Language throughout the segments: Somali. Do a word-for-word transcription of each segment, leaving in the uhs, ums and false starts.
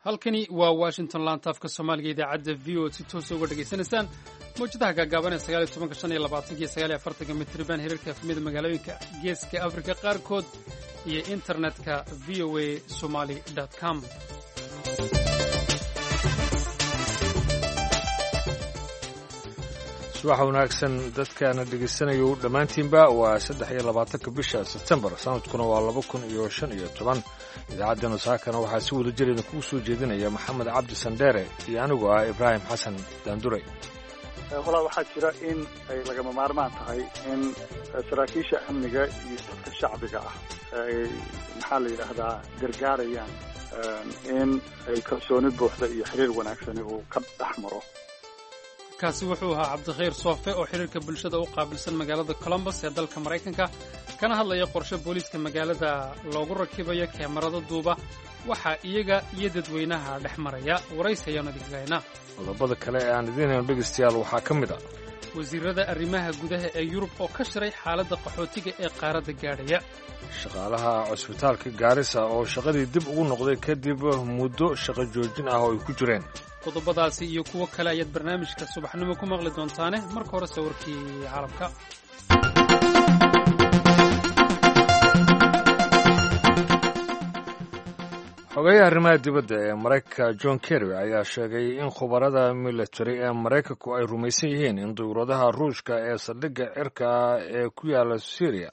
Halkani waa Washington, laanta afka Soomaaliga, idaacadda V O A si toosa uga dhegaysanaysaan mawjadaha gaagaaban ee sagaal iyo tobanka, shan iyo labaatanka iyo sagaal iyo afartanka mitriban, hirarka F M-yada magaalooyinka Geeska Afrika qaarkood iyo internetka V O A Somali com. Subax wanaagsan dadkaana dhegaysanayo dhammaantiinba. Waa saddex iyo labaatanka bisha Sebtembar, sanadkuna waa laba kun iyo shan iyo toban. Idaacaddeenna saakana waxaa si wada jir idinkugu soo jeedinaya Maxamed Cabdi Sandheere iyo anigu ah Ibraahim Xasan Daanduray. Walaa, waxaa jira in ay lagama maarmaan tahay in saraakiisha amniga iyo dadka shacbiga ah ay, maxaa la yidhaahdaa, gargaarayaan in ay kalsooni buuxda iyo xiriir wanaagsani uu ka dhex maro. Kaasi wuxuu ahaa Cabdikhayr Soofe oo xiriirka bulshada u qaabilsan magaalada Columbus ee dalka Maraykanka, kana hadlaya qorshe booliiska magaalada loogu rakibayo keemarado duuba waxaa iyaga iyo dadweynaha dhex maraya. Waraysi ayaanu idinkaga haynaa. Qodobada kale ee aan idiin hayno, dhegaystayaal, waxaa ka mid ah wasiirada arrimaha gudaha ee Yurub oo ka shiray xaaladda qaxootiga ee qaaradda gaadhaya, shaqaalaha cusbitaalka Gaarisa oo shaqadii dib ugu noqday kadib muddo shaqo joojin ah oo ay ku jireen. Qodobadaasi iyo kuwo kale ayaad barnaamijka subaxnimo ku maqli doontaane. Marka hore sawirkii caalamka. Xogeyaha arrimaha dibadda ee Maraykanka John Kerry ayaa sheegay in khubarada military ee Maraykanku ay rumaysan yihiin in dayuuradaha Ruushka ee saldhigga cirka ee ku yaala Syriya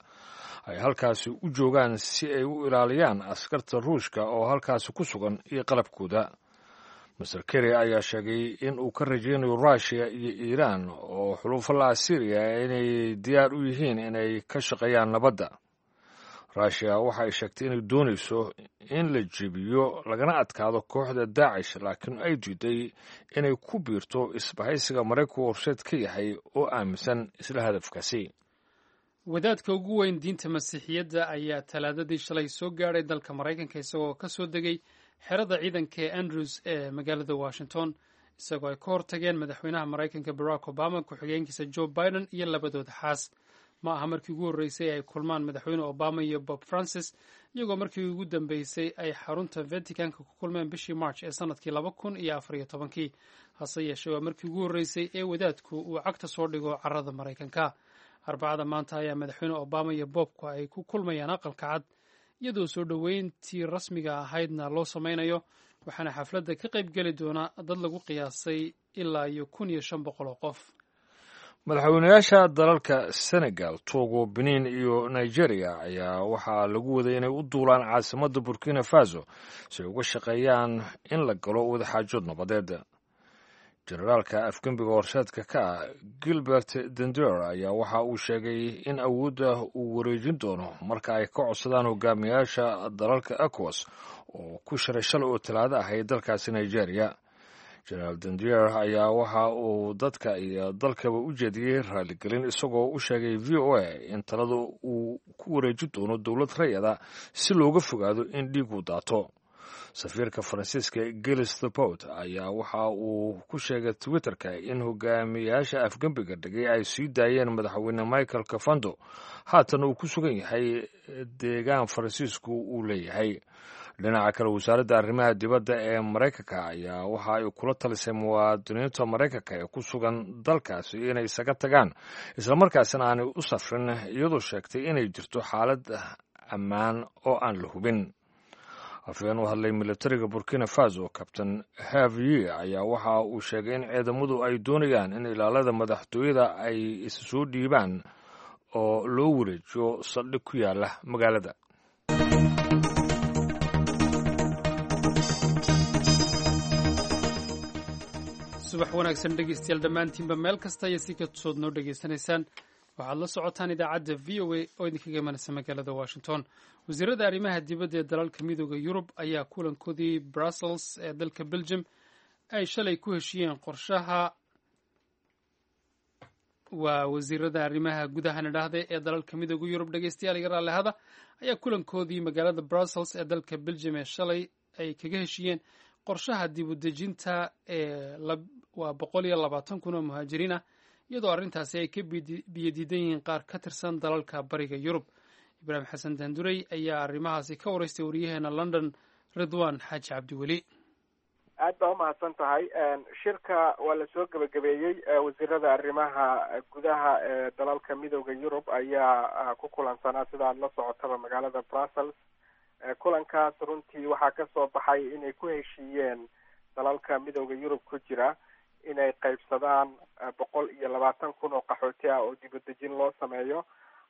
ay halkaasi u joogaan si ay u ilaaliyaan askarta Ruushka oo halkaasi ku sugan iyo qalabkooda. Mister Kerry ayaa sheegay in uu ka rajaynayo Ruushiya iyo Iiraan oo xulufo la ah Syriya inay diyaar u yihiin inay ka shaqeeyaan nabadda. Ruushiya waxa ay sheegtay inay doonayso in la jebiyo lagana adkaado kooxda Daacish, laakiin ay diiday inay ku biirto isbahaysiga Maraykanku horseed ka yahay oo aaminsan isla hadafkaasi. Wadaadka ugu weyn diinta Masiixiyadda ayaa Talaadadii shalay soo gaadhay dalka Maraykanka, isagoo ka soo degay xerada ciidanka ee Andrews ee magaalada Washington, isagoo ay ka hortageen madaxweynaha Maraykanka Barack Obama, ku-xigeenkiisa Joe Biden iyo labadooda xaas. Ma aha markii ugu horreysay ay kulmaan madaxweyne Obama iyo Pope Francis, iyagoo markii ugu dambeysay ay xarunta Vaticanka ku kulmeen bishii March ee sanadkii laba kun iyo afar iyo tobankii. Hase yeeshee, waa markii ugu horreysay ee wadaadku uu cagta soo dhigo carrada Maraykanka. Arbacada maanta ayaa madaxweyne Obama iyo Pope-ku ay ku kulmayaan Aqalka Cad, iyadoo soo dhoweyntii rasmiga ahaydna loo sameynayo, waxaana xafladda ka qayb geli doona dad lagu qiyaasay ilaa iyo kun iyo shan boqol oo qof. Madaxweynayaasha dalalka Senegal, Togo, Benin iyo Nigeria ayaa waxaa lagu waday inay u duulaan caasimadda Burkina Faso si ay uga shaqeeyaan in la galo wadaxaajood nabadeed. Generaalka afgembiga horseedka ka ah, Gilbert Diendere, ayaa waxa uu sheegay in awoodda uu wareejin doono marka ay ka codsadaan hogaamiyaasha dalalka ECOWAS oo ku shiray shalay oo Talaado ahayd dalkaasi Nigeria. Generaal Diendere ayaa waxa uu dadka iyo dalkaba u jeediyey raaligelin, isagoo u sheegay V O A in talada uu ku wareejin doono dowlad rayada si looga fogaado in dhiigu daato. Safiirka Faransiiska Gilles Thebault ayaa waxa uu ku sheegay Twitterka in hogaamiyaasha afgembiga dhigay ay sii daayeen madaxweyne Michael Kafando, haatan uu ku sugan yahay deegaan Faransiisku uu leeyahay. Dhinaca kale, wasaaradda arrimaha dibadda ee Maraykanka ayaa waxa ay kula talisay muwaadiniinta Maraykanka ee ku sugan dalkaasi inay isaga tagaan, islamarkaasina aanay u safrin, iyadoo sheegtay inay jirto xaalad ammaan oo aan la hubin. Afhayeen u hadlay militariga Burkina Faso, Captain Havier, ayaa waxa uu sheegay in ciidamadu ay doonayaan in ilaalada madaxtooyada ay isa soo dhiibaan oo loo wareejiyo saldhig ku yaala magaalada. Subax wanaagsan, dhegeystayaal, dhammaantiinba meel kasta iyo si kastood noo dhegaysanaysaan. Waxaad la socotaan idaacadda V O A oo idinkaga imanaysa magaalada Washington. Wasiirada arrimaha dibadda ee dalalka Midooda Yurub ayaa kulankoodii Brussels ee dalka Belgium ay shalay ku heshiiyeen qorshaha, waa wasiirada arrimaha gudaha nidhaahda ee dalalka Midooda Yurub, dhegeystayaal, iga raallihada, ayaa kulankoodii magaalada Brussels ee dalka Belgium ee shalay ay kaga heshiiyeen qorshaha dib u dejinta ee waa boqol iyo labaatan kun oo muhaajiriin ah, iyadoo arrintaasi ay ka biyadiidan yihiin qaar ka tirsan dalalka Bariga Yurub. Ibraahim Xasan Daandurey ayaa arrimahaasi ka waraystay wariyaheena London, Ridwan Xaaji Cabdiweli. Aad baa umahadsan tahay. Shirka waa lasoo gebagabeeyey. Wasiirada arrimaha gudaha ee dalalka Midowda Yurub ayaa ku kulansanaa, sida aada la socotaba, magaalada Brussels. Kulankaas runtii waxaa kasoo baxay inay ku heshiiyeen dalalka Midowda Yurub ku jira inay qaybsadaan boqol iyo labaatan kun oo qaxooti ah oo dibadejin loo sameeyo.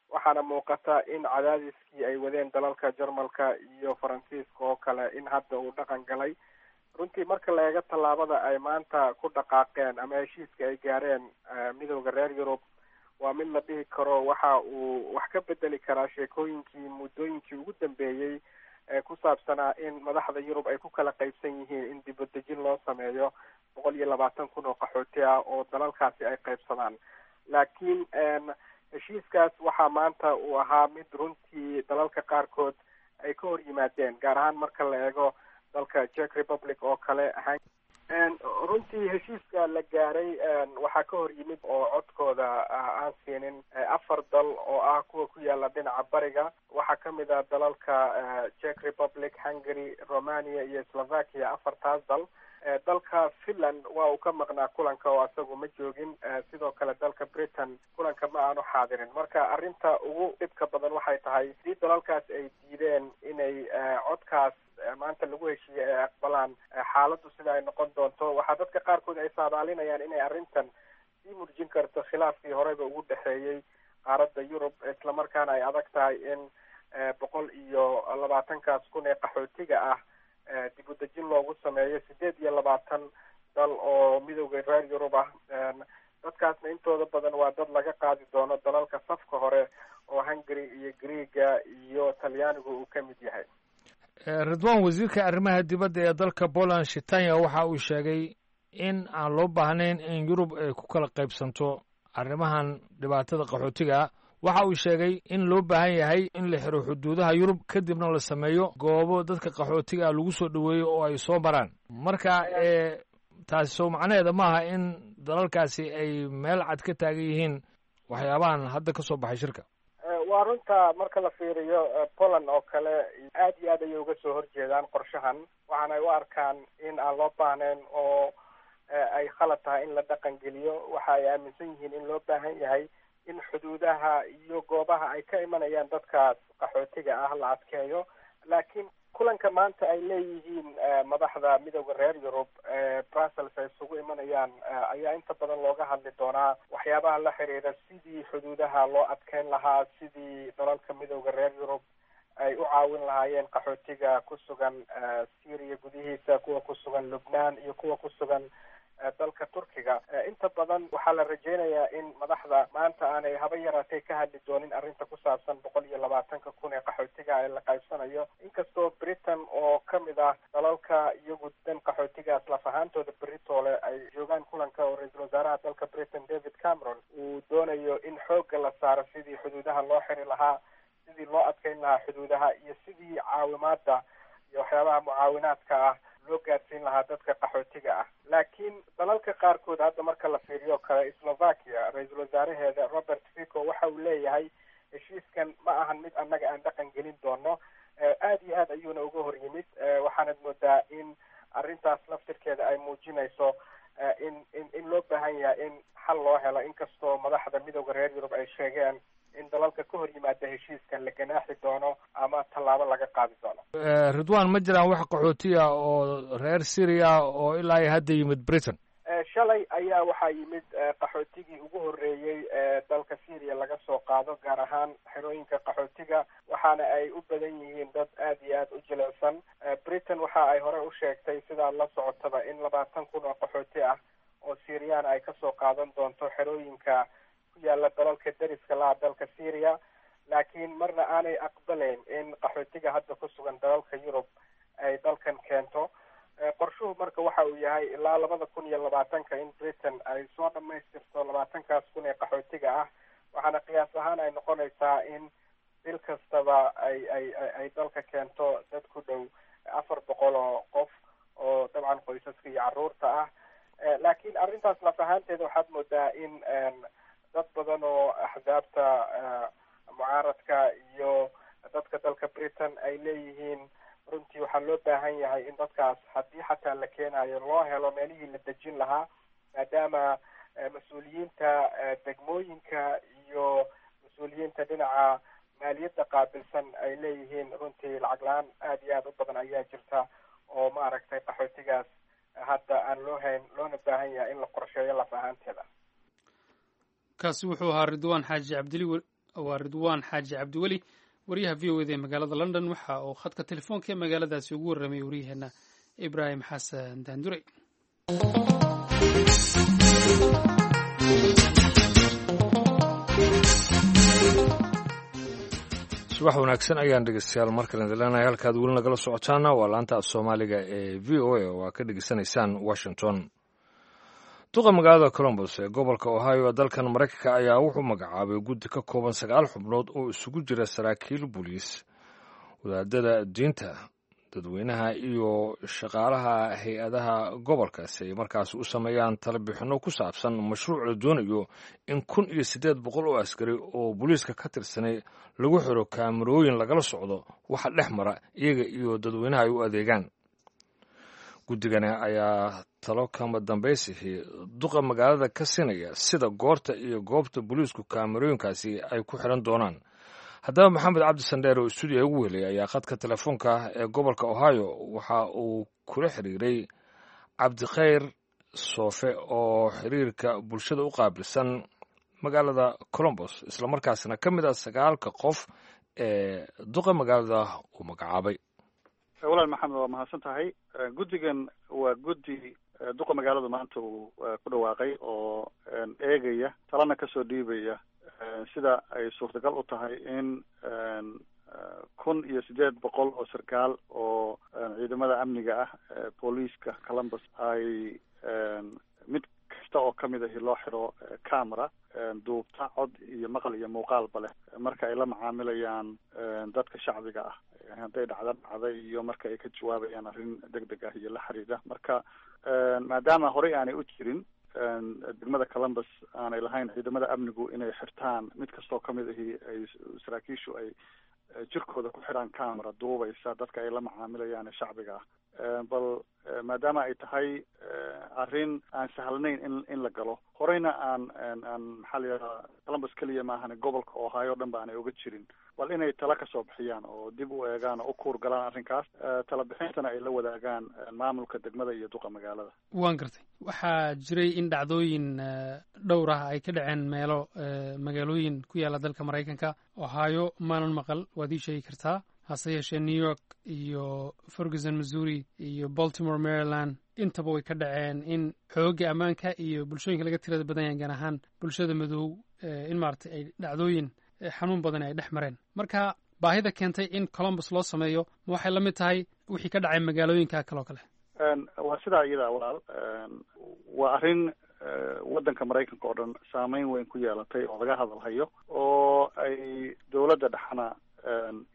Waxaana muuqata in cadaadiskii ay wadeen dalalka Jarmalka iyo Faransiiska oo kale in hadda uu dhaqan galay. Runtii marka la eego tallaabada ay maanta ku dhaqaaqeen ama heshiiska ay gaareen Midowda reer Yurub, waa mid la dhihi karo waxa uu wax ka bedeli karaa sheekooyinkii muddooyinkii ugu dambeeyey ee ku saabsanaa in madaxda Yurub ay ku kala qaybsan yihiin in dibadejin loo sameeyo boqol iyo labaatan kun oo qaxooti ah oo dalalkaasi ay qaybsadaan. Laakiin heshiiskaas waxaa maanta uu ahaa mid runtii dalalka qaarkood ay ka hor yimaadeen, gaar ahaan marka la eego dalka Czech Republic oo kale. Runtii heshiiska la gaaray waxaa ka hor yimid oo codkooda aan siinin afar dal oo ah kuwa ku yaala dhinaca bariga. Waxaa kamid ah dalalka Czech Republic, Hungary, Romania iyo Slovakia, afartaas dal. Dalka Finland waa uu ka maqnaa kulanka oo isagu ma joogin. Sidoo kale dalka Britain kulanka ma aanu xaadirin. Marka arrinta ugu dhibka badan waxay tahay hadii dalalkaas ay diideen inay codkaas maanta lagu heshiiyey ay aqbalaan, xaaladdu sida ay noqon doonto. Waxaa dadka qaarkood ay saadaalinayaan inay arrintan sii murjin karto khilaafkii horeyba ugu dhexeeyey qaaradda Yurub, islamarkaana ay adag tahay in boqol iyo labaatankaas kun ee qaxootiga ah dib u dejin loogu sameeyo sideed iyo labaatan dal oo Midowda reer Yurub ah. Dadkaasna intooda badan waa dad laga qaadi doono dalalka safka hore oo Hungary iyo Greega iyo Talyaanigu uu ka mid yahay. Ridwan, wasiirka arrimaha dibadda ee dalka Poland, Shitanya, waxa uu sheegay in aan loo baahnayn in Yurub ay ku kala qaybsanto arrimahan dhibaatada qaxootiga. Waxa uu sheegay in loo baahan yahay in la xiro xuduudaha Yurub, kadibna la sameeyo goobo dadka qaxootiga ah lagu soo dhoweeyo oo ay soo maraan. Marka taasi soo macnaheeda maaha in dalalkaasi ay meel cad ka taagan yihiin waxyaabahan hadda ka soo baxay shirka? Waa runta. Marka la fiiriyo Poland oo kale, aad iyo aad ayay uga soo horjeedaan qorshahan, waxaana ay u arkaan in aan loo baahnayn oo ay khalad tahay in la dhaqan geliyo. Waxa ay aaminsan yihiin in loo baahan yahay in xuduudaha iyo goobaha ay ka imanayaan dadkaas qaxootiga ah la adkeeyo. Laakiin kulanka maanta ay leeyihiin madaxda Midowda reer Yurub ee Brussels ay isugu imanayaan ayaa inta badan looga hadli doonaa waxyaabaha la xiriira sidii xuduudaha loo adkeyn lahaa, sidii dalalka Midowda reer Yurub ay u caawin lahaayeen qaxootiga ku sugan Syria gudihiisa, kuwa ku sugan Lubnaan iyo kuwa ku sugan dalka Turkiga. Inta badan waxaa la rajeynayaa in madaxda maanta aanay haba yaraatay ka hadli doonin arrinta ku saabsan boqol iyo labaatanka kun ee qaxootiga ee la qaybsanayo, inkastoo Britain oo kamid ah dalalka iyagu dan qaxootigaas laf ahaantooda beritoole ay joogaan kulanka, oo ra-iisul wasaaraha dalka Britain David Cameron uu doonayo in xoogga la saaro sidii xuduudaha loo xiri lahaa, sidii loo adkeyn lahaa xuduudaha iyo sidii caawimaada iyo waxyaabaha mucaawinaadka ah loo gaadsiin lahaa dadka qaxootiga ah. Laakiin dalalka qaarkood hadda marka la fiiriyo kale, Slovakia ra-iisul wasaaraheeda Robert Fico waxa uu leeyahay heshiiskan ma ahan mid annaga aan dhaqan gelin doono. Aad iyo aad ayuuna uga hor yimid. Waxaanad moodaa in arrintaas laftirkeeda ay muujinayso in in in loo baahan yahay in xal loo helo, inkastoo madaxda Midowda reer Yurub ay sheegeen in dalalka ka hor yimaada heshiiskan la ganaaxi doono ama tallaabo laga qaadi doono. Ridwan, ma jiraan wax qaxootiya oo reer Syria oo ilaa iyo hadda yimid Britain? Shalay ayaa waxaa yimid qaxootigii ugu horreeyey ee dalka Syria laga soo qaado, gaar ahaan xerooyinka qaxootiga, waxaana ay u badan yihiin dad aad iyo aad u jilicsan. Britain waxa ay hore u sheegtay, sidaad la socotaba, in labaatan kun oo qaxooti ah oo Syrian ay kasoo qaadan doonto xerooyinka ku yaala dalalka deriska laha dalka Syria, laakiin marna aanay aqbalayn in qaxootiga hadda ku sugan dalalka Yurub ay dalkan keento. Qorshuhu marka waxa uu yahay ilaa labada kun iyo labaatanka in Britain ay soo dhamaystirto labaatankaas kun ee qaxootiga ah, waxaana qiyaas ahaan ay noqonaysaa in bil kastaba ay ay ay dalka keento dad ku dhow afar boqol oo qof oo dabcan qoysaska iyo carruurta ah. Laakiin arrintaas laf ahaanteeda waxaad moodaa in dad badan oo axsaabta mucaaradka iyo dadka dalka Britain ay leeyihiin Runtii waxaa loo baahan yahay in dadkaas haddii xataa la keenayo loo helo meelihii la dejin lahaa, maadaama mas-uuliyiinta degmooyinka iyo mas-uuliyiinta dhinaca maaliyadda qaabilsan ay leeyihiin runtii lacag la-aan aada iyo aada u badan ayaa jirta oo maaragtay qaxootigaas hadda aan loo hayn, loona baahan yahay in la qorsheeyo laf ahaanteeda. Kaasi wuxuu ahaa Ridwaan Xaaji Cabdili, waa Ridwaan Xaaji Cabdiweli, wariyaha V O A da ee magaalada London. Waxa uu khadka telefoonka ee magaaladaasi ugu warramayay waryaheena Ibraahim Xasan Daandurey. Subax wanaagsan ayaan dhegeystayaal markale idin. Halkaad weli nagala socotaana waa laanta af Soomaaliga ee V O A oo aad ka dhegeysanaysaan Washington. Duqa magaalada Columbus ee gobolka Ohio ee dalkan Maraykanka ayaa wuxuu magacaabay guddi ka kooban sagaal xubnood oo isugu jira saraakiil booliis, wadaadada diinta, dadweynaha iyo shaqaalaha hay-adaha gobolka si ay markaas u sameeyaan talabixinno ku saabsan mashruuc la doonayo in kun iyo siddeed boqol oo askari oo booliiska ka tirsanay lagu xiro kaamarooyin lagala socdo waxa dhex mara iyaga iyo dadweynaha ay u adeegaan. Guddigani ayaa talo kama dambaysihii duqa magaalada ka siinaya sida goorta iyo goobta booliisku kaamarooyinkaasi ay ku xiran doonaan. Haddaba Maxamed Cabdi Sandheer oo stuudiya ugu helay ayaa khadka telefoonka ee gobolka Ohio waxa uu kula xiriiray Cabdikhayr Soofe oo xiriirka bulshada u qaabilsan magaalada Columbus, islamarkaasna ka mid ah sagaalka qof ee duqa magaalada uu magacaabay. Walaal Maxamed, waa mahadsan tahay. Guddigan waa guddi duqa magaalada maanta uu ku dhawaaqay oo eegaya, talana kasoo dhiibaya sida ay suurtagal u tahay in kun iyo siddeed boqol oo sarkaal oo ciidamada amniga ah, booliiska Columbus, ay mid kasta oo kamid ahi loo xiro camera duubta cod iyo maqal iyo muuqaalba leh marka ay la macaamilayaan dadka shacbiga ah, hadday dhacda dhacday iyo marka ay ka jawaabayaan arrin deg deg ah iyo la xiriira. Marka maadaama horey aanay u jirin degmada Columbus aanay lahayn ciidamada amnigu inay xirtaan, mid kastoo kamid ahi ay saraakiishu ay jirkooda ku xiraan camera duubaysa dadka ay la macaamilayaan ee shacbiga ah, bal maadaama ay tahay arrin aan sahlanayn in in la galo, horeyna aan aan maxaa la yidhahdaa, Columbus keliya maahane, gobolka Ohio o dhan ba aanay oga jirin, bal inay tala kasoo bixiyaan oo dib u eegaan oo u kuur galaan arrinkaas, tala bixintana ay la wadaagaan maamulka degmada iyo duqa magaalada. Waan gartay. Waxaa jiray in dhacdooyin dhowr ah ay ka dhaceen meelo magaalooyin ku yaala dalka Maraykanka. Ohio maanan maqal, waad ii sheegi kartaa. Hase yeeshee New York iyo Ferguson, Missouri iyo Baltimore, Maryland intaba way ka dhaceen in xoogga ammaanka iyo bulshooyinka laga tirada badan yahay, gaar ahaan bulshada madow, in maaragtay ay dhacdooyin xanuun badan ay dhex mareen. Marka baahida keentay in Columbus loo sameeyo ma waxay la mid tahay wixii ka dhacay magaalooyinka kale oo kale? Waa sidaa iyada, walaal. Waa arrin waddanka Maraykanka oo dhan saameyn weyn ku yeelatay oo laga hadalhayo oo ay dowladda dhexna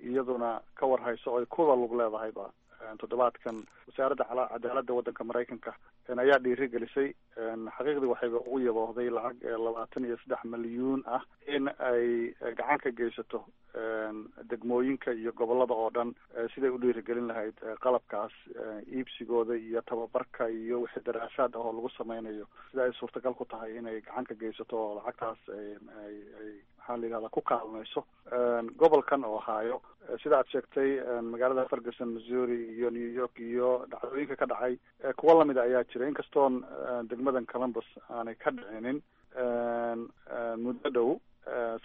iyaduna ka warhayso oo ay kuwa lug leedahayba. Toddobaadkan wasaaradda cadaaladda waddanka Maraykanka ayaa dhiirigelisay, xaqiiqdii waxayba ugu yaboohday lacag labaatan iyo saddex milyuun ah in ay gacan ka geysato degmooyinka iyo gobolada oo dhan siday u dhiirigelin lahayd qalabkaas iibsigooda iyo tababarka iyo wixii daraasaad ah oo lagu sameynayo, sida ay suurtagal ku tahay inay gacan ka geysato oo lacagtaas ay ay maxaa la yidhahdaa, ku kaalmayso. Gobolkan Ohio, sida aad sheegtay, magaalada Ferguson, Missouri iyo New York iyo dhacdooyinka ka dhacay kuwo lamida ayaa jira, inkastoon degmadan Columbus aanay ka dhicinin muddo dhow.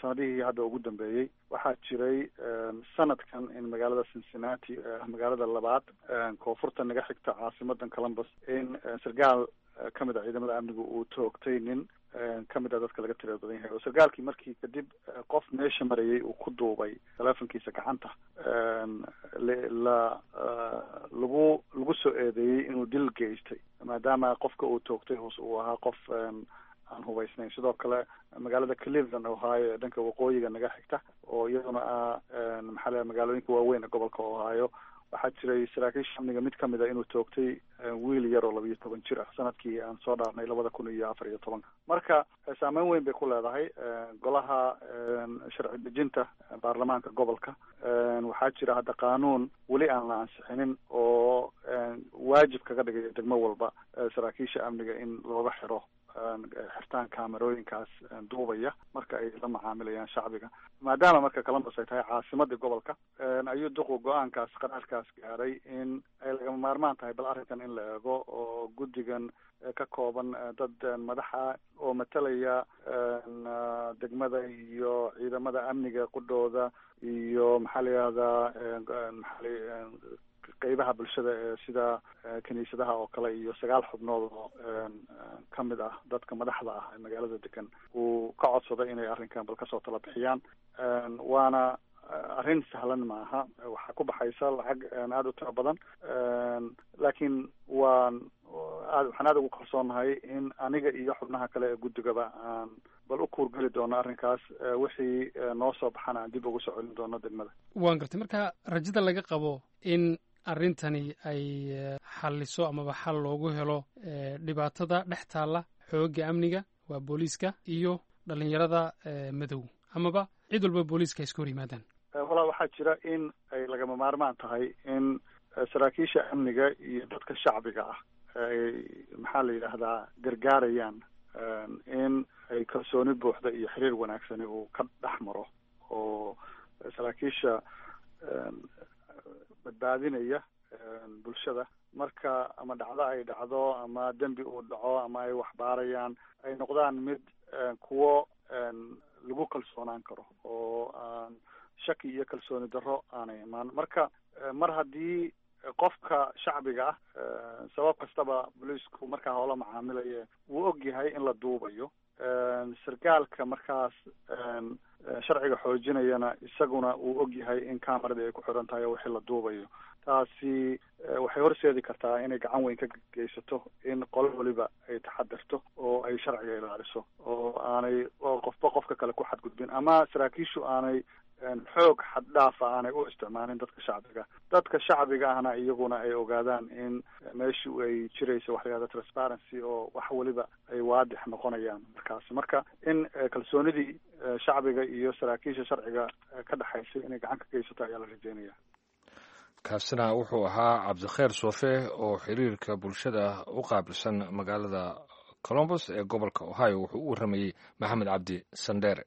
Sanadihii hadda ugu dambeeyey waxaa jiray sanadkan in magaalada Cincinnati, magaalada labaad koonfurta naga xigta caasimadan Columbus, in sarkaal kamid a ciidamada amnigu uu toogtay nin kamid a dadka laga tirada badan yahay, oo sarkaalkii markii kadib qof meesha marayay uu ku duubay telefonkiisa gacanta, la lagu lagu soo eedeeyey inuu dil geystay, maadaama qofka uu toogtay hoos uu ahaa qof aan hubaysnayn. Sidoo kale magaalada Cleveland, Ohio ee dhanka waqooyiga naga xigta, oo iyaduna ah maxaa la magaalooyinka waaweyn ee gobolka Ohio. Waxaa jiray saraakiisha amniga mid kamid a inuu toogtay wiil yar oo labiyo toban jir ah sanadkii aan soo dhaarnay labada kun iyo afar iyo tobanka. Marka saameyn weyn bay ku leedahay golaha sharci dejinta baarlamaanka gobolka. Waxaa jira hadda qaanuun weli aan la ansixinin oo waajib kaga dhigaya degmo walba saraakiisha amniga in looga xiro xirtaan kaamerooyinkaas duubaya marka ay la macaamilayaan shacbiga. Maadaama marka Columbus ay tahay caasimadii gobolka, ayuu duqu go-aankaas qaraarkaas gaaray in ay lagama maarmaan tahay bal arrinkan in la eego, oo guddigan ka kooban dad madaxa oo matalaya degmada iyo ciidamada amniga qudhooda iyo maxaa la yihahdaa maxaa qeybaha bulshada ee sida kiniisadaha oo kale, iyo sagaal xubnood oo ka mid ah dadka madaxda ah ee magaalada degan uu ka codsaday inay arrinkan bal kasoo tala bixiyaan. Waana arrin sahlan maaha, waxaa ku baxaysa lacag aada u tiro badan, laakiin waan aad waxaan aada ugu kalsoonahay in aniga iyo xubnaha kale ee guddigaba aan bal u kuurgeli doono arrinkaas, wixii noo soo baxana aan dib ugu soo celin doono degmada. Waan gartay. Marka rajada laga qabo in arrintani ay xalliso amaba xal loogu helo dhibaatada dhex taalla xoogga amniga waa booliiska iyo dhalinyarada madow amaba cid walba booliiska ay iska hor yimaadaan? Walaa, waxaa jira in ay lagama maarmaan tahay in saraakiisha amniga iyo dadka shacbiga ah ay maxaa la yidhaahdaa gargaarayaan in ay kalsooni buuxda iyo xiriir wanaagsani uu ka dhex maro, oo saraakiisha badbaadinaya bulshada marka ama dhacdo ay dhacdo ama dembi uu dhaco ama ay waxbaarayaan ay noqdaan mid kuwo lagu kalsoonaan karo oo aan shaki iyo kalsooni darro aanay imaan. Marka mar haddii qofka shacbiga ah sabab kastaba booliisku markaa hoola macaamilaya wuu og yahay in la duubayo, sarkaalka markaas sharciga xoojinayana isaguna uu og yahay in cameradii ay ku xiran tahay oo wixii la duubayo, taasi waxay horseedi kartaa inay gacan weyn ka geysato in qolo waliba ay taxadirto oo ay sharciga ilaaliso, oo aanay oo qofba qofka kale ku xadgudbin ama saraakiishu aanay xoog xaddhaafa aanay u isticmaalin dadka shacbiga, dadka shacbiga ahna iyaguna ay ogaadaan in meeshu ay jirayso waxa la yihahda transparency oo wax waliba ay waadix noqonayaan markaas. Marka in kalsoonidii shacbiga iyo saraakiisha sharciga ka dhexaysay inay gacan ka geysato ayaa la rajeynaya. Kaasina wuxuu ahaa Cabdikheer Soofe oo xiriirka bulshada u qaabilsan magaalada Columbus ee gobolka Ohio. Wuxuu u warramayey Maxamed Cabdi Sandheere.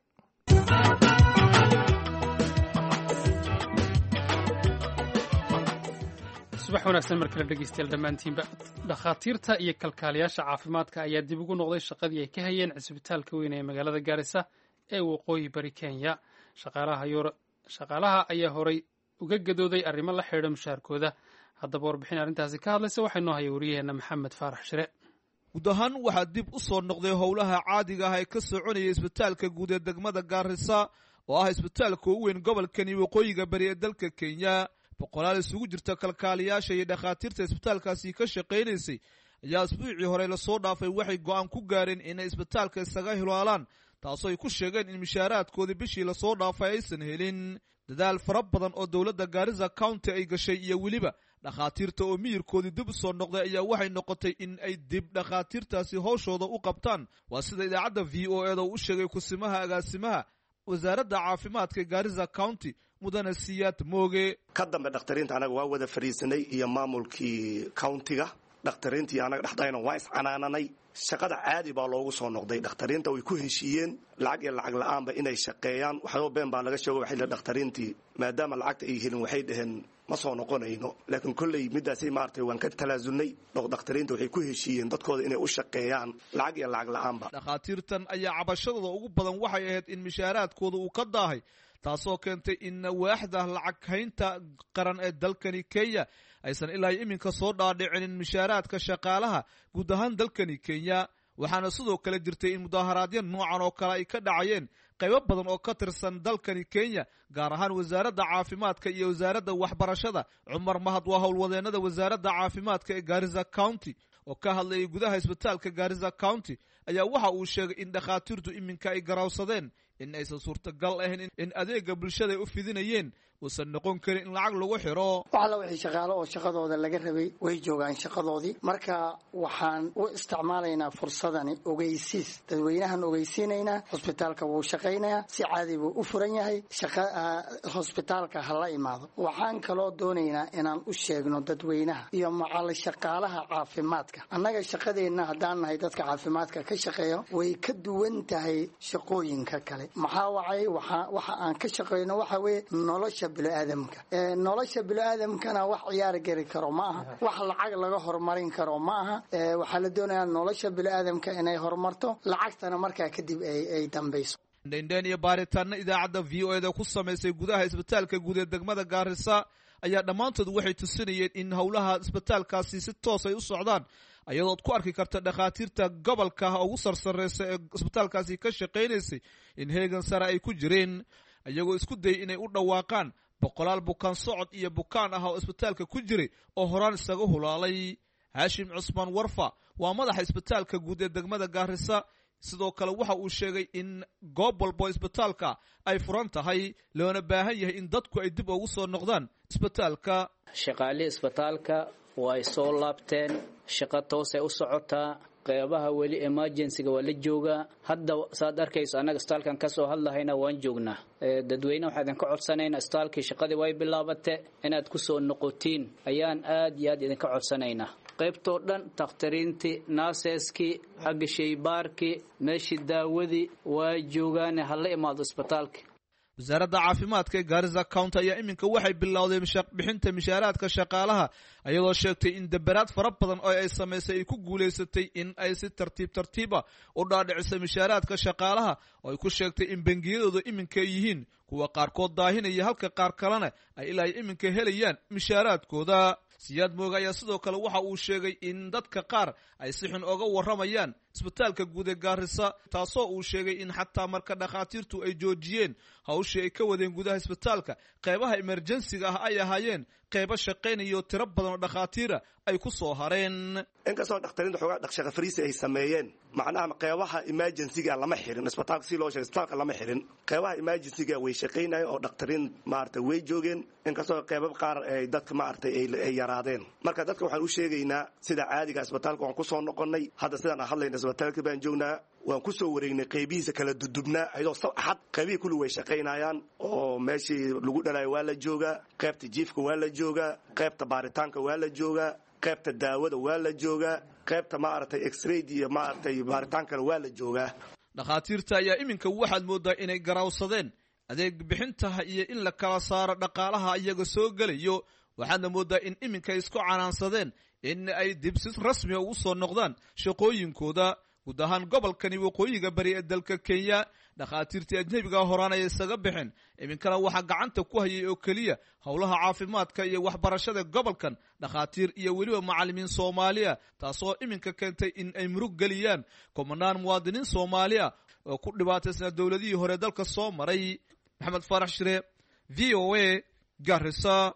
Subax wanaagsan mar kale dhegeystayaal dhammaantiinba. Dhakhaatiirta iyo kalkaaliyaasha caafimaadka ayaa dib ugu noqday shaqadii ay ka hayeen cisbitaalka weyn ee magaalada Gaarisa ee waqooyi bari Kenya. Shaqaalaha ayaa horay uga gadooday arrimo la xidhiidha mushaharkooda. Haddaba warbixin arrintaasi ka hadlaysa waxaa inoo haya wariyaheenna Maxamed Faarax Shire. Guud ahaan waxaa dib u soo noqday howlaha caadiga ah ee ka soconaya isbitaalka guud ee degmada Gaarisa oo ah isbitaalka ugu weyn gobolkani waqooyiga bari ee dalka Kenya. Boqolaal isugu jirta kalkaaliyaasha iyo dhakhaatiirta isbitaalkaasi ka shaqaynaysay ayaa isbuucii hore lasoo dhaafay waxay go'aan ku gaareen inay isbitaalka isaga hilaalaan, taasoo ay ku sheegeen in mishaaraadkoodii bishii lasoo dhaafay aysan helin. Dadaal fara badan oo dowladda Gaarisa County ay gashay iyo weliba dhakhaatiirta oo miyirkoodii dib u soo noqday ayaa waxay noqotay in ay dib dhakhaatiirtaasi howshooda u qabtaan. Waa sida idaacadda V O E da uu u sheegay kusimaha agaasimaha wasaaradda caafimaadka Gaarisa County, mudane Siyaad Mooge. Ka dambe dhakhtariinta anaga waa wada fadhiisanay iyo maamulkii countiga, dhakhtariintii anaga dhexdayna waa iscanaananay. Shaqada caadi baa loogu soo noqday. Dhakhtariinta way ku heshiiyeen lacag iyo lacag la-aanba inay shaqeeyaan. Waxyaaba been baa laga sheego, waxay dhakhtariintii maadaama lacagta ay helin waxay dhaheen ma soo noqonayno, laakiin kolley midaasay maaragtay waan ka talaasulnay. Dhakhtariinta waxay ku heshiiyeen dadkooda inay u shaqeeyaan lacag iyo lacag la-aanba. Dhakhaatiirtan ayaa cabashadooda ugu badan waxay ahayd in mishaaraadkooda uu ka daahay, taasoo keentay in waaxda lacag haynta qaran ee dalkani Kenya aysan ilaa iminka soo dhaadhicinin mishaaraadka shaqaalaha guud ahaan dalkani Kenya. Waxaana sidoo kale jirtay in mudaaharaadyo noocan oo kale ay ka dhacayeen qaybo badan oo ka tirsan dalkani Kenya, gaar ahaan wasaaradda caafimaadka iyo wasaaradda waxbarashada. Cumar Mahad waa howlwadeennada wasaaradda caafimaadka ee Gaarisa County oo ka hadlayay gudaha isbitaalka Gaarisa County ayaa waxa uu sheegay in dhakhaatiirtu iminka ay garawsadeen In aysan suurtagal ahayn in adeega bulshada ay u fidinayeen uusan noqon karin in lacag lagu xiro. Wax alla wixii shaqaalo oo shaqadooda laga rabay way joogaan shaqadoodii. Marka waxaan u isticmaalaynaa fursadani ogeysiis, dadweynahan ogeysiinaynaa. Hosbitaalka wuu shaqaynayaa, si caadi buu u furan yahay, hosbitaalka ha la imaado. Waxaan kaloo doonaynaa inaan u sheegno dadweynaha iyo macal shaqaalaha caafimaadka, annaga shaqadeenna haddaan nahay dadka caafimaadka ka shaqeeyo way ka duwan tahay shaqooyinka kale. Maxaa wacay? Waxa aan ka shaqeyno waxa weeye nolosha biniaadamka. Nolosha biniaadamkana wax ciyaar geli karo ma aha, wax lacag laga horumarin karo ma aha. Waxaa la doonayaa nolosha biniaadamka inay horumarto, lacagtana markaa kadib ay dambayso. Indhaindhayn iyo baaritaana idaacadda V O E da ku samaysay gudaha isbitaalka guud ee degmada Gaarisa ayaa dhammaantood waxay tusinayeen in howlaha isbitaalkaasi si toos ay u socdaan, ayadood ku arki karta dhakhaatiirta gobolka ugu sarsareysa ee isbitaalkaasi ka shaqaynaysay in heegan sare ay ku jireen, iyagoo isku dayay inay u dhawaaqaan boqolaal bukaan socod iyo bukaan ah oo isbitaalka ku jiray oo horaan isaga hulaalay. Haashim Cusmaan Warfa waa madaxa isbitaalka guud ee degmada Gaarisa. Sidoo kale waxa uu sheegay in goob walbo isbitaalka ay furan tahay, loona baahan yahay in dadku ay dib ugu soo noqdaan isbitaalka. Shaqaalihii isbitaalka way soo laabteen, shaqo toosay u socotaa. Qeybaha weli emergencyga waa la joogaa. Hadda saad arkayso annaga isbitaalkan ka soo hadlahayna waan joognaa. Dadweyne waxaa idinka codsanaynaa, isbitaalkii shaqadii way bilaabate, inaad ku soo noqotiin ayaan aad iyo aad idinka codsanaynaa. Qaybtoo dhan takhtariintii, naaseskii, xagga shaybaarkii, meeshii daawadii waa joogaane, hala imaado isbitaalka. Wasaaradda caafimaadka ee Gaarisa County ayaa iminka waxay bilowday bixinta mishaaraadka shaqaalaha, iyadoo sheegtay in daberaad fara badan oo ay samaysay ay ku guulaysatay in ay si tartiib tartiiba u dhaadhiciso mishaaraadka shaqaalaha, oo ay ku sheegtay in bangiyadooda iminka ay yihiin kuwa qaarkood daahinaya, halka qaar kalena ay ilaa iminka helayaan mishaaraadkooda. Siyaad Mooga ayaa sidoo kale waxa uu sheegay in dadka qaar ay si xun oga warramayaan isbitaalka guud ee Gaarisa, taasoo uu sheegay in xataa marka dhakhaatiirtu ay joojiyeen hawshii ay ka wadeen gudaha isbitaalka, qeybaha emerjensiga ah ay ahaayeen qeybo shaqaynayo, tiro badan oo dhakhaatiira ay ku soo hareen. Inkastoo dhakhtariinta xoogaa dhaqshaqa fariisi ay sameeyeen, macnaha qeybaha emergencyga lama xirin isbitaalka, si loo sheegay isbitaalka lama xirin. Qeybaha emergencyga way shaqaynayeen oo dhakhtariin maaragtay way joogeen, inkastoo qeybab qaar ay dadka maaragtay ay yaraadeen. Marka dadka waxaan u sheegaynaa sida caadiga isbitaalka waan ku soo noqonnay. Hadda sidaan aan hadlayna isbitaalka baan joognaa, waan ku soo wareegnay qeybihiisa kala dudubnaa, ayadoo axad qeybihii kulli way shaqaynayaan oo meeshii lagu dhalayo waa la joogaa, qeybta jiifka waa la joogaa, qeybta baaritaanka waa la joogaa, qeybta daawada waa la joogaa, qeybta maaragtay x-ray iyo maaragtay baaritaankana waa la joogaa. Dhakhaatiirta ayaa iminka waxaad mooddaa inay garawsadeen adeeg bixintaha iyo in la kala saaro dhaqaalaha iyaga soo gelayo, waxaadna mooddaa in iminka ay isku canaansadeen in ay dib si rasmiga ugu soo noqdaan shaqooyinkooda. Guud ahaan gobolkani waqooyiga bari ee dalka Kenya dhakhaatiirtii ajnebiga horaan ay isaga bixeen, iminkana waxaa gacanta ku hayay oo keliya howlaha caafimaadka iyo waxbarashada gobolkan dhakhaatiir iyo weliba macallimiin Soomaaliya, taasoo iminka keentay in ay murug geliyaan kumanaan muwaadiniin Soomaaliya oo ku dhibaataysnaa dowladihii hore dalka soo maray. Maxamed Faarax Shire, V O A, Garissa.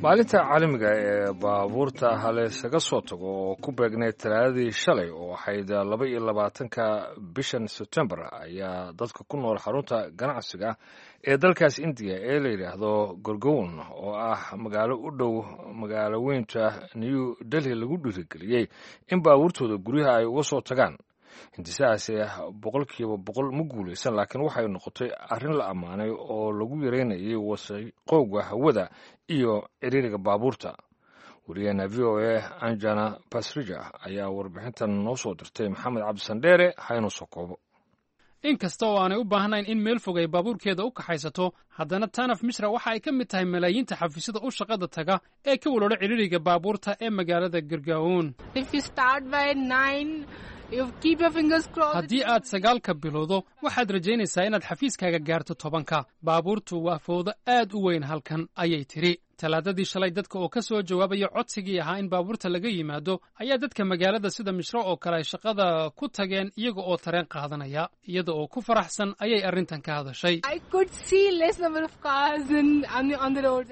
Maalinta caalamiga ee baabuurta halaysaga soo tago oo ku beegnayd talaadadii shalay oo ahayd laba iyo labaatanka bishan Sebtembar ayaa dadka ku nool xarunta ganacsiga ee dalkaas Indiya ee la yidhaahdo Gorgown, oo ah magaalo u dhow magaalo weynta New Delhi, lagu dhiirigeliyey in baabuurtooda guryaha ay uga soo tagaan. Hindisahaasi boqolkiiba boqol ma guulaysan, laakiin waxay noqotay arrin la ammaanay oo lagu yareynayay wasaqowga hawada iyo ciriiriga baabuurta. Wariyaheena V O A Anjana Basrija ayaa warbixintan noo soo dirtay. Maxamed Cabdisandheere haynoo soo koobo. In kasta oo aanay u baahnayn in meel fog ay baabuurkeeda u kaxaysato, haddana Tanaf Mishra waxa ay ka mid tahay malaayiinta xafiisyada u shaqada taga ee ka waloola ciriiriga baabuurta ee magaalada Gargaoon. Haddii aad sagaalka bilowdo, waxaad rajaynaysaa inaad xafiiskaaga gaarto tobanka. Baabuurtu waa fowdo aad u weyn halkan, ayay tidhi. Talaadadii shalay, dadka oo ka soo jawaabaya codsigii ahaa in baabuurta laga yimaado ayaa dadka magaalada sida Mishro oo kale ay shaqada ku tageen iyaga oo tareen qaadanaya. Iyada oo ku faraxsan ayay arrintan ka hadashay.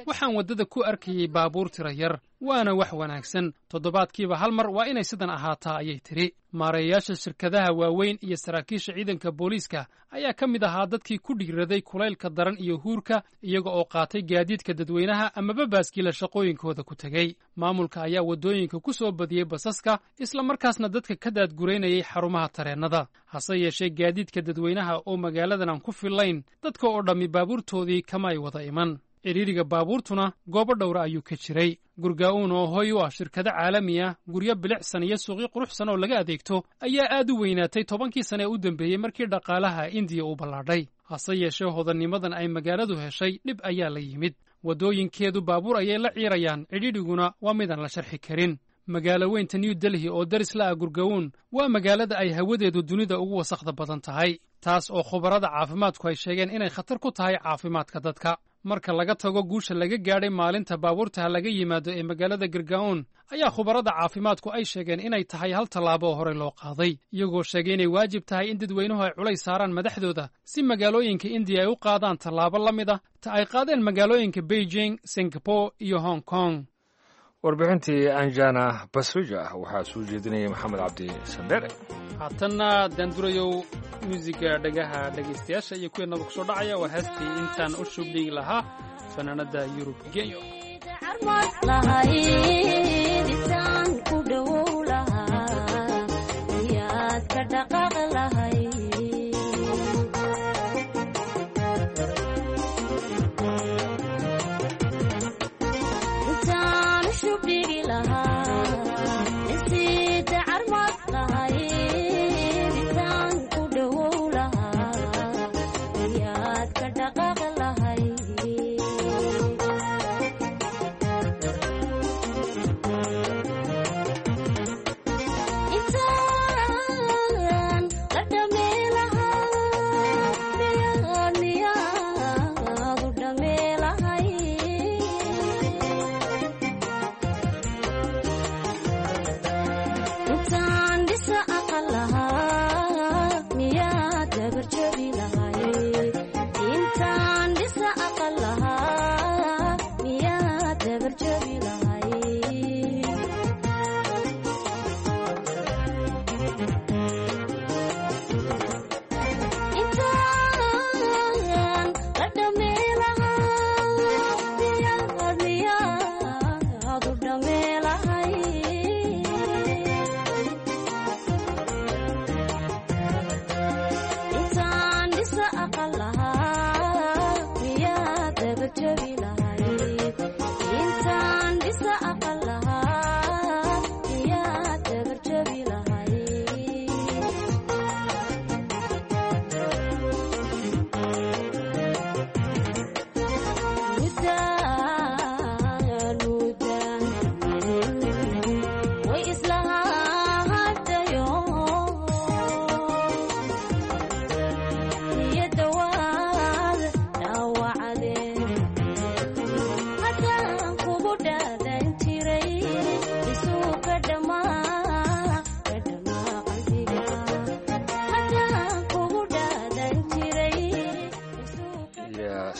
Waxaan waddada ku arkayay baabuur tira yar, waana wax wanaagsan. Toddobaadkiiba hal mar waa inay sidan ahaataa, ayay tidhi. Maareeyayaasha shirkadaha waaweyn iyo saraakiisha ciidanka booliiska ayaa ka mid ahaa dadkii ku dhiiraday kulaylka daran iyo huurka, iyaga oo qaatay gaadiidka dadweynaha amaba baaskiila shaqooyinkooda ku tegey. Maamulka ayaa waddooyinka ku soo badiyey basaska, isla markaasna dadka ka daadguraynayay xarumaha tareennada. Hase yeeshee, gaadiidka dadweynaha oo magaaladan aan ku fillayn, dadka oo dhammi baabuurtoodii kama ay wada iman. Cidhiiriga baabuurtuna goobo dhowra ayuu ka jiray. Gurgaa'uun oo hoy u ah shirkado caalami ah, guryo bilicsan iyo suuqyo quruxsan oo laga adeegto ayaa aad u weynaatay tobankii sane ee u dambeeyey markii dhaqaalaha Indiya uu ballaadhay. Hase yeeshee, hodannimadan ay magaaladu heshay dhib ayaa la yimid. Waddooyinkeedu baabuur ayay la ciirayaan, cidhiidhiguna waa midaan la sharxi karin. Magaalo weynta New Delhi oo daris la ah Gurga'uun waa magaalada ay hawadeedu dunida ugu wasakhda badan tahay, taas oo khubarada caafimaadku ay sheegeen inay khatar ku tahay caafimaadka dadka. Marka laga tago guusha laga gaadhay maalinta baabuurtaha laga yimaado ee magaalada Gurgaon, ayaa khubarada caafimaadku ay sheegeen inay tahay hal tallaabo oo horey loo qaaday, iyagoo sheegay inay waajib tahay in dadweynuhu ay culays saaraan madaxdooda si magaalooyinka Indiya ay u qaadaan tallaabo la mid ah ta ay qaadeen magaalooyinka Beijing, Singapore iyo Hong Kong. Warbixintii Anjana Basrija waxaa soo jeedinaya Maxamed Cabdi Sandere. Haatanna daandurayow, muusiga dhagaha dhegaystayaasha iyo kuweenaba kusoo dhacaya waa heestii Intaan u Shubdhigi Lahaa, fanaanada Yurub Genyo.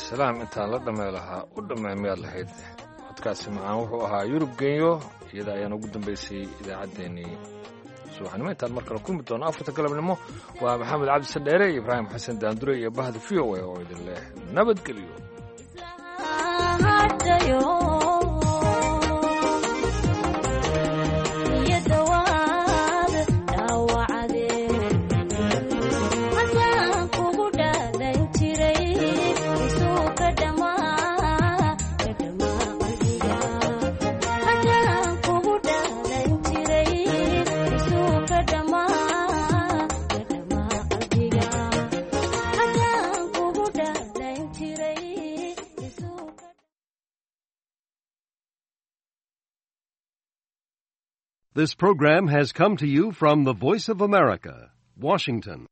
Salaam, intaan la dhamee lahaa u dhamee miyaad lahayd? Codkaasi macaan wuxuu ahaa Yurub Genyo. Iyada ayaan ugu dambaysay idaacaddeenii subaxnimo. Intaan mar kale kulmi doono afarta galabnimo, waa Maxamed Cabdi Sandheere iyo Ibraahim Xasan Daandure iyo bahda V O A oo idin leh nabadgelyo. This program has come to you from the Voice of America, Washington.